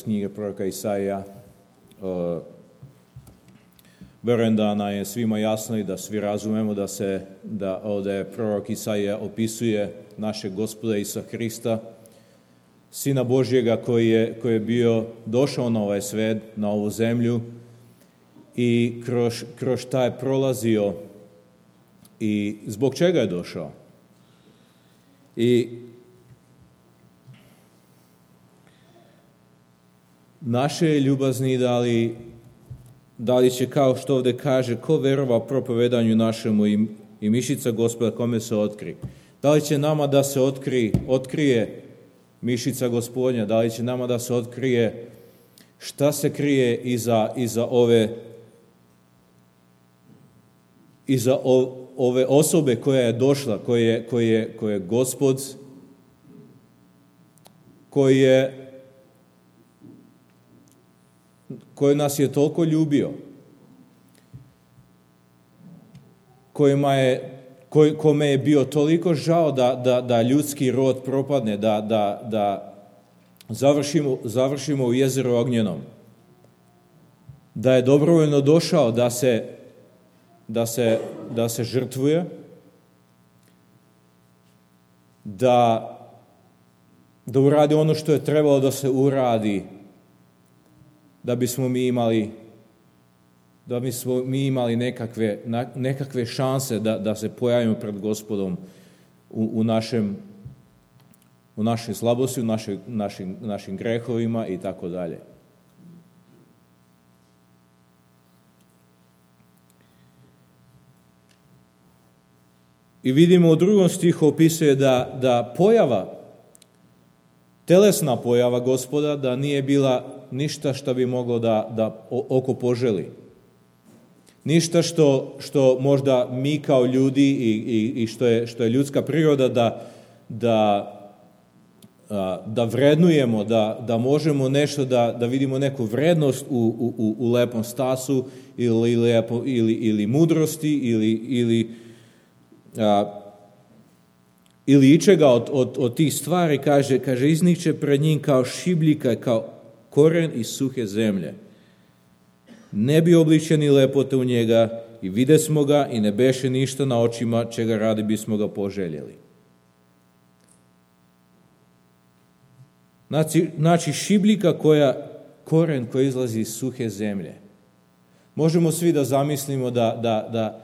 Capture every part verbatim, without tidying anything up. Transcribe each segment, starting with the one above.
iz knjige proroka Isaija. Verujem da nam je svima jasno i da svi razumemo da se da ovdje prorok Isaija opisuje našeg Gospoda Isusa Hrista, Sina Božjega koji je, koji je bio došao na ovaj svet, na ovu zemlju i kroz, kroz šta je prolazio i zbog čega je došao. I naše je ljubazni da li, da li će, kao što ovdje kaže, ko verova propovedanju našemu i, i mišica Gospoda kome se otkri. Da li će nama da se otkri, otkrije mišica Gospodnja, da li će nama da se otkrije šta se krije iza, iza ove iza o, ove osobe koja je došla, koji je, koji je, koji je Gospod, koji je koji nas je toliko ljubio, kojima je, koj, kome je bio toliko žao da, da, da ljudski rod propadne, da, da, da završimo, završimo u jezeru ognjenom, da je dobrovoljno došao da se, da se, da se žrtvuje, da, da uradi ono što je trebalo da se uradi, da bismo mi imali da bismo mi imali nekakve, nekakve šanse da, da se pojavimo pred Gospodom u, u našem u našoj slabosti, u našoj, našim, našim grehovima i tako dalje. I vidimo u drugom stihu opisuje da, da pojava, telesna pojava Gospoda, da nije bila ništa što bi moglo da, da oko poželi. Ništa što, što možda mi kao ljudi i, i, i što, je, što je ljudska priroda da, da, da vrednujemo, da, da možemo nešto, da, da vidimo neku vrednost u, u, u lepom stasu ili, lepo, ili, ili mudrosti ili, ili, a, ili ičega od, od, od tih stvari, kaže, kaže izniče pred njim kao šibljika, kao koren iz suhe zemlje. Ne bi obličeni lepote u njega i vide smo ga i ne beše ništa na očima čega radi bismo ga poželjeli. Znači, znači šibljika koja, koren koji izlazi iz suhe zemlje. Možemo svi da zamislimo da, da, da,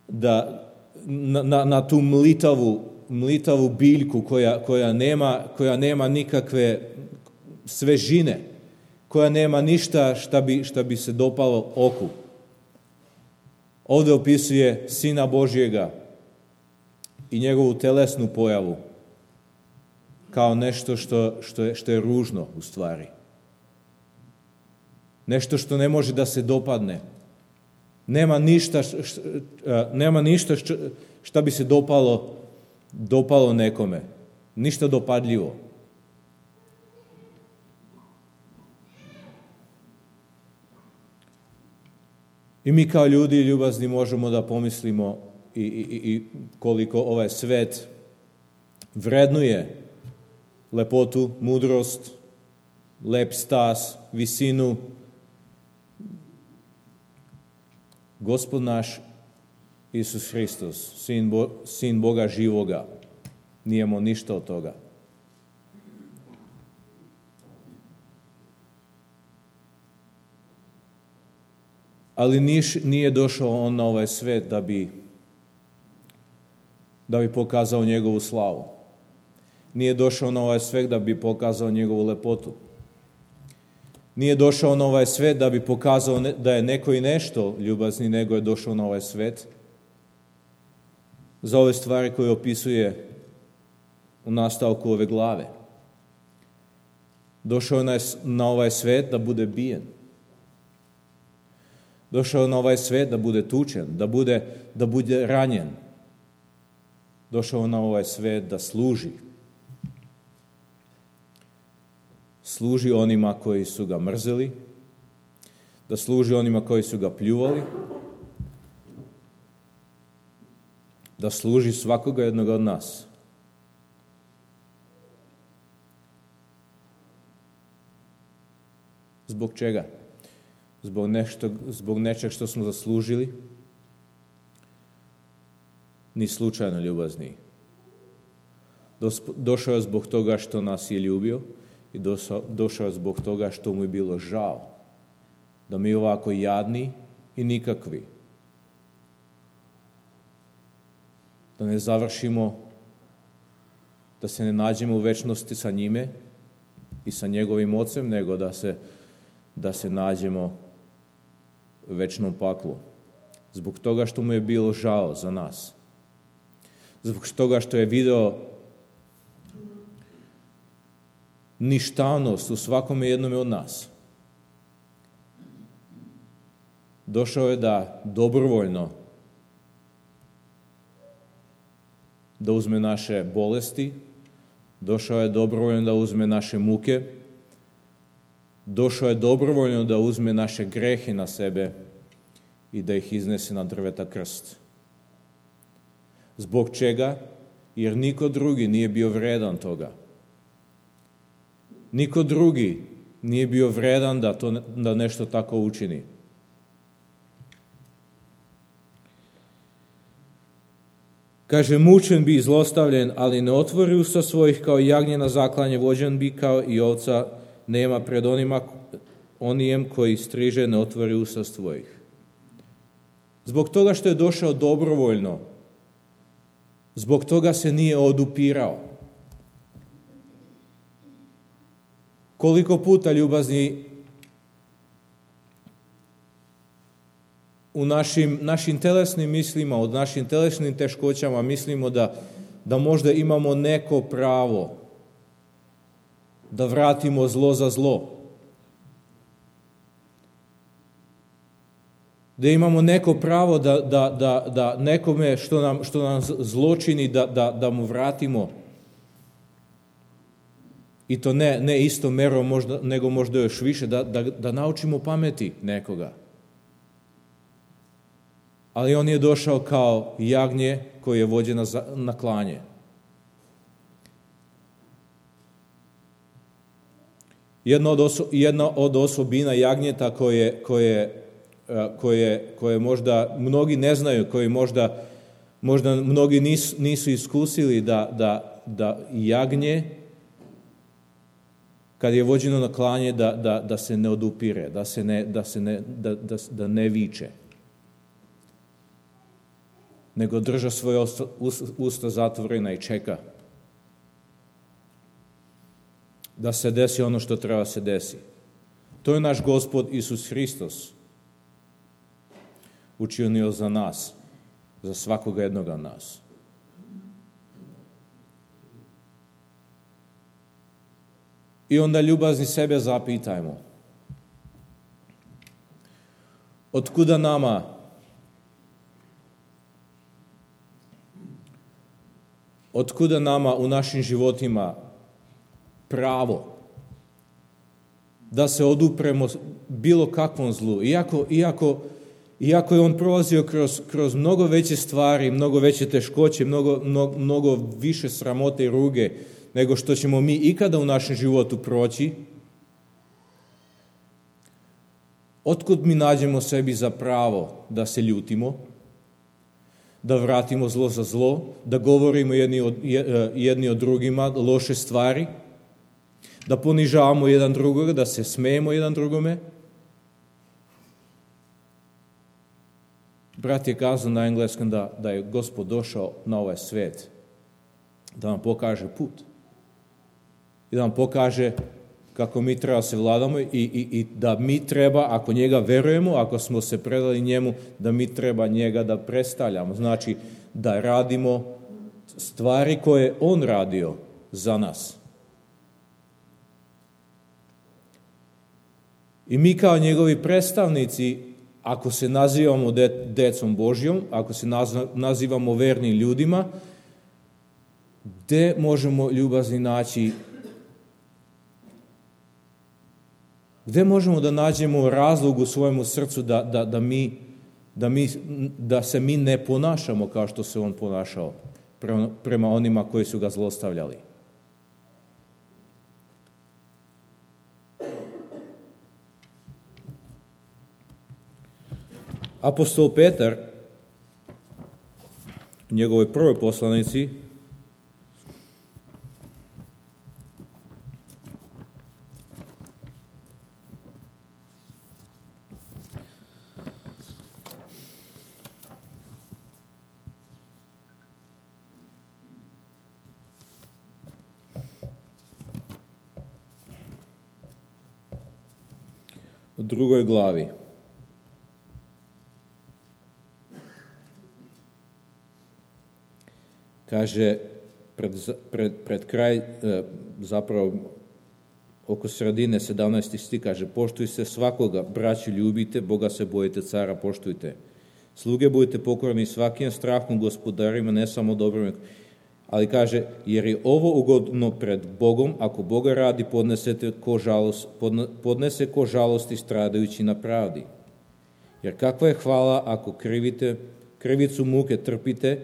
da na, na tu mlitavu, mlitavu biljku koja, koja, nema, koja nema nikakve svežine, koja nema ništa šta bi, šta bi se dopalo oku. Ovdje opisuje Sina Božjega i njegovu telesnu pojavu kao nešto što, što, je, što je ružno u stvari. Nešto što ne može da se dopadne. Nema ništa, š, š, nema ništa š, šta bi se dopalo, dopalo nekome. Ništa dopadljivo. I mi kao ljudi ljubazni možemo da pomislimo i, i, i koliko ovaj svet vrednuje lepotu, mudrost, lep stas, visinu. Gospod naš Isus Hristos, sin, Bo, sin Boga živoga, nijemo ništa od toga. Ali niš, nije došao on na ovaj svet da bi, da bi pokazao njegovu slavu. Nije došao na ovaj svet da bi pokazao njegovu lepotu. Nije došao na ovaj svet da bi pokazao ne, da je neko i nešto ljubazni, nego je došao na ovaj svet za ove stvari koje opisuje u nastavku ove glave. Došao je na, na ovaj svet da bude bijen. Došao na ovaj svet da bude tučen, da bude, da bude ranjen. Došao na ovaj svet da služi. Služi onima koji su ga mrzeli, da služi onima koji su ga pljuvali, da služi svakoga jednog od nas. Zbog čega? Zbog, nešto, zbog nečeg što smo zaslužili? Ni slučajno ljubazni. Došao je zbog toga što nas je ljubio i došao je zbog toga što mu je bilo žao da mi ovako jadni i nikakvi, da ne završimo, da se ne nađemo u večnosti sa njime i sa njegovim ocem, nego da se, da se nađemo u večnom paklu. Zbog toga što mu je bilo žao za nas. Zbog toga što je video ništavnost u svakome jednome od nas. Došao je da dobrovoljno da uzme naše bolesti, došao je dobrovoljno da uzme naše muke, došao je dobrovoljno da uzme naše grehe na sebe i da ih iznese na drveta krst. Zbog čega? Jer niko drugi nije bio vredan toga. Niko drugi nije bio vredan da, to, da nešto tako učini. Kaže, mučen bi, zlostavljen, ali ne otvori usta svojih, kao jagnje na zaklanje, vođen bi kao i ovca, nema pred onima, onijem koji striže, ne otvori usta svojih. Zbog toga što je došao dobrovoljno, zbog toga se nije odupirao. Koliko puta, ljubazni, u našim, našim telesnim mislima, u našim telesnim teškoćama mislimo da, da možda imamo neko pravo da vratimo zlo za zlo. Da imamo neko pravo da, da, da, da nekome što nam, što nam zločini da, da, da mu vratimo. I to ne, ne isto merom, možda, nego možda još više, da, da, da naučimo pameti nekoga. Ali on je došao kao jagnje koje je vođeno na klanje. Jedna od, oso, jedna od osobina jagnjeta koje, koje, koje, koje možda mnogi ne znaju, koje možda, možda mnogi nisu, nisu iskusili da, da, da jagnje, kad je vođeno na klanje, da, da, da se ne odupire, da, se ne, da, se ne, da, da, da ne viče, nego drža svoje usta zatvorena i čeka da se desi ono što treba se desi. To je naš Gospod Isus Hristos učinio za nas, za svakoga jednoga nas. I onda ljubazni sebe zapitajmo. Otkuda nama Otkuda nama u našim životima pravo da se odupremo bilo kakvom zlu, iako, iako, iako je on prolazio kroz, kroz mnogo veće stvari, mnogo veće teškoće, mnogo, mnogo, mnogo više sramote i ruge nego što ćemo mi ikada u našem životu proći, otkud mi nađemo sebi za pravo da se ljutimo, da vratimo zlo za zlo, da govorimo jedni od, jedni od drugima loše stvari, da ponižavamo jedan drugoga, da se smejemo jedan drugome. Brat je kazao na engleskom da, da je Gospod došao na ovaj svet da nam pokaže put i da nam pokaže kako mi treba se vladamo i, i, i da mi treba, ako njega verujemo, ako smo se predali njemu, da mi treba njega da predstavljamo. Znači, da radimo stvari koje je on radio za nas. I mi kao njegovi predstavnici, ako se nazivamo de, decom Božjom, ako se nazivamo vernim ljudima, gde možemo ljubazni naći, gde možemo da nađemo razlog u svojemu srcu da, da, da, mi, da, mi, da se mi ne ponašamo kao što se on ponašao prema, prema onima koji su ga zlostavljali. Apostol Petar u njegovoj prvoj poslanici u drugoj glavi kaže pred, pred, pred kraj, zapravo oko sredine sedamnaesti stih kaže: poštuj se svakoga, braću ljubite, Boga se bojite, cara poštujte. Sluge budite pokorni svakim strahom gospodarima, ne samo dobrima. Ali kaže, jer je ovo ugodno pred Bogom, ako Boga radi, podnesete ko žalost, podnese ko žalosti stradajući na pravdi. Jer kakva je hvala ako krivite, krivicu muke trpite,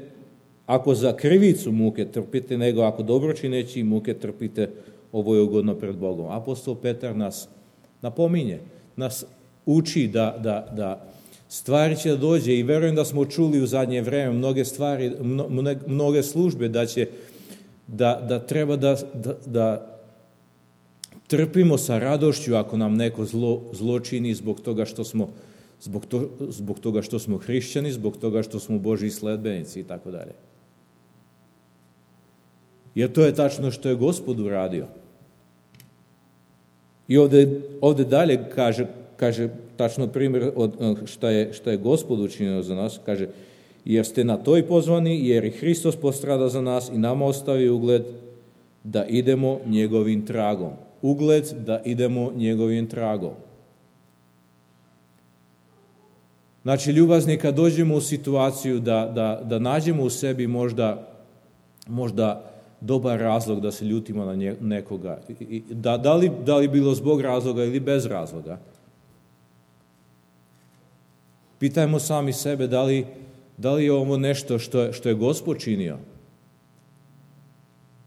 ako za krivicu muke trpite, nego ako dobročineći muke trpite, ovo je ugodno pred Bogom. Apostol Petar nas napominje, nas uči da, da, da stvari će da dođe i verujem da smo čuli u zadnje vreme mnoge stvari, mnoge službe da će, da, da treba da, da, da trpimo sa radošću ako nam neko zlo, zlo čini zbog toga što smo zbog, to, zbog toga što smo hrišćani, zbog toga što smo Božji sledbenici i tako dalje. Jer to je tačno što je Gospod uradio. I ovde, ovde dalje kaže, kaže tačno primjer od šta je, šta je Gospod učinio za nas, kaže, jer ste na to i pozvani, jer i Hristos postrada za nas i nama ostavi ugled da idemo njegovim tragom. Ugled da idemo njegovim tragom. Znači, ljubazni, kad dođemo u situaciju da, da, da nađemo u sebi možda, možda dobar razlog da se ljutimo na nekoga, da, da, li, da li bilo zbog razloga ili bez razloga, pitajmo sami sebe da li, da li je ovo nešto što je, što je Gospod činio,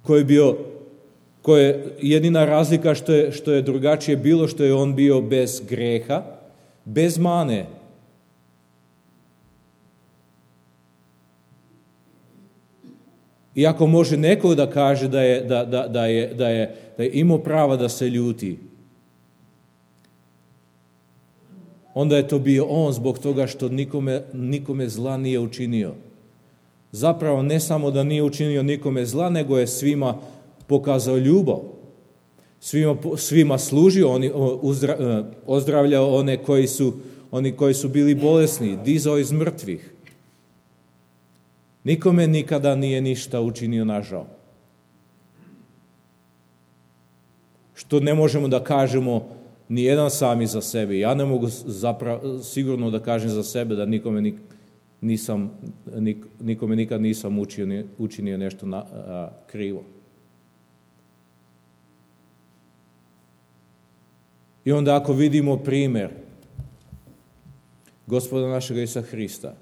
ko je bio, ko je jedina razlika što je, što je drugačije bilo, što je on bio bez greha, bez mane. Iako može neko da kaže da je, da, da, da je, da je, da je imao prava da se ljuti, onda je to bio on zbog toga što nikome, nikome zla nije učinio. Zapravo ne samo da nije učinio nikome zla, nego je svima pokazao ljubav. Svima, svima služio, oni, uzdra, ozdravljao one koji su, oni koji su bili bolesni, dizao iz mrtvih. Nikome nikada nije ništa učinio nažao. Što ne možemo da kažemo ni jedan sami za sebe. Ja ne mogu zapravo, sigurno da kažem za sebe da nikome, nisam, nikome nikad nisam učinio, učinio nešto na, a, krivo. I onda ako vidimo primjer Gospoda našega Isusa Hrista,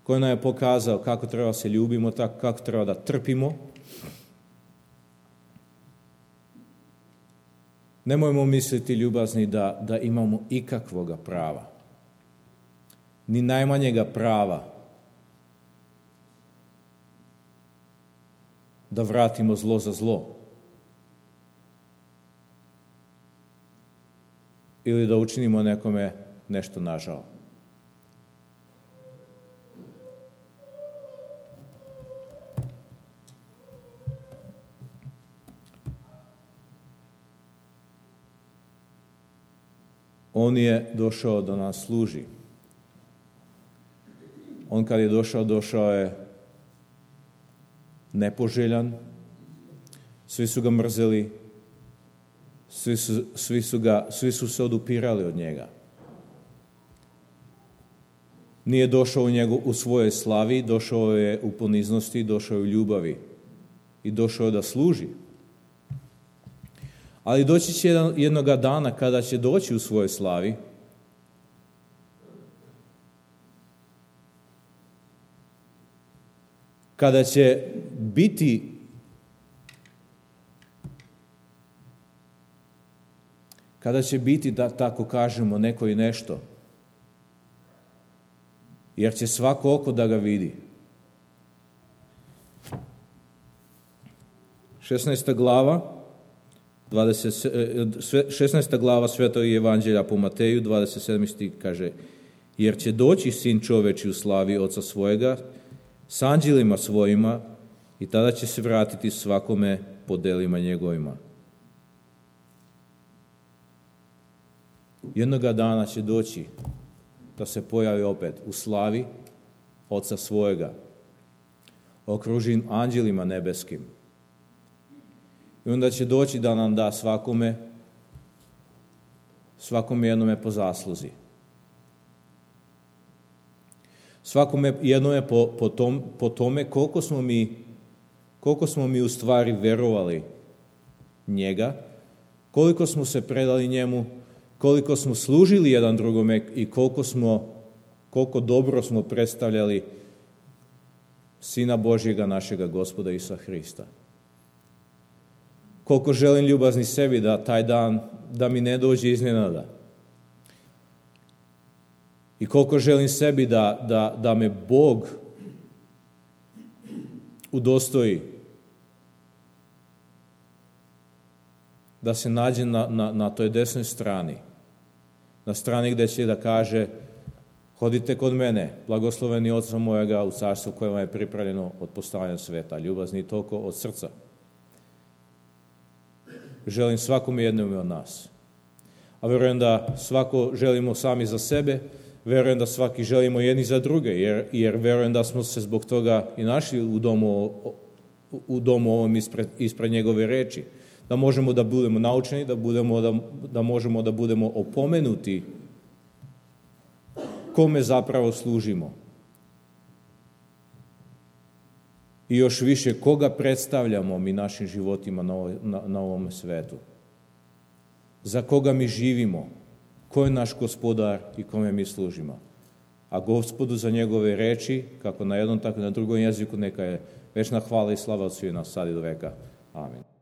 koji nam je pokazao kako treba se ljubimo, tako kako treba da trpimo, nemojmo misliti, ljubazni, da, da imamo ikakvoga prava, ni najmanjega prava da vratimo zlo za zlo ili da učinimo nekome nešto nažao. On je došao da nas služi. On kad je došao, došao je nepoželjan, svi su ga mrzeli, svi su, svi su, ga, svi su se odupirali od njega. Nije došao u, njegu, u svojoj slavi, došao je u poniznosti, došao je u ljubavi i došao je da služi. Ali doći će jednoga dana kada će doći u svojoj slavi, kada će biti kada će biti, da tako kažemo, neko i nešto, jer će svako oko da ga vidi. šesnaesta glava, dvadeset, šesnaesta glava Svetog evanđelja po Mateju, dvadeset sedmi stih kaže: jer će doći Sin čoveči u slavi Oca svojega s anđelima svojima i tada će se vratiti svakome po delima njegovima. Jednoga dana će doći da se pojavi opet u slavi Oca svojega, okružen anđelima nebeskim. I onda će doći da nam da svakome, svakome jednome po zasluzi. Svakome jednome po, po, tom, po tome koliko smo mi, koliko smo mi u stvari verovali njega, koliko smo se predali njemu, koliko smo služili jedan drugome i koliko smo, koliko dobro smo predstavljali Sina Božjega, našega Gospoda Isusa Hrista. Koliko želim ljubazni sebi da taj dan, da mi ne dođe iznenada. I koliko želim sebi da, da, da me Bog udostoji. Da se nađe na, na, na toj desnoj strani. Na strani gdje će da kaže: hodite kod mene, blagosloveni Oca mojega, u carstvu koje vam je pripravljeno od postavljanja sveta. Ljubazni toliko od srca. Želim svakome jednome od nas. A verujem da svako želimo sami za sebe, verujem da svaki želimo jedni za druge, jer, jer verujem da smo se zbog toga i našli u domu, u domu ovom ispred, ispred njegove reči. Da možemo da budemo naučeni, da, budemo, da, da možemo da budemo opomenuti kome zapravo služimo. I još više, koga predstavljamo mi našim životima na, ovoj, na, na ovom svetu. Za koga mi živimo, ko je naš gospodar i kome mi služimo. A Gospodu za njegove reči, kako na jednom, tako i na drugom jeziku, neka je večna hvala i slava od svih nas, sad i do veka. Amin.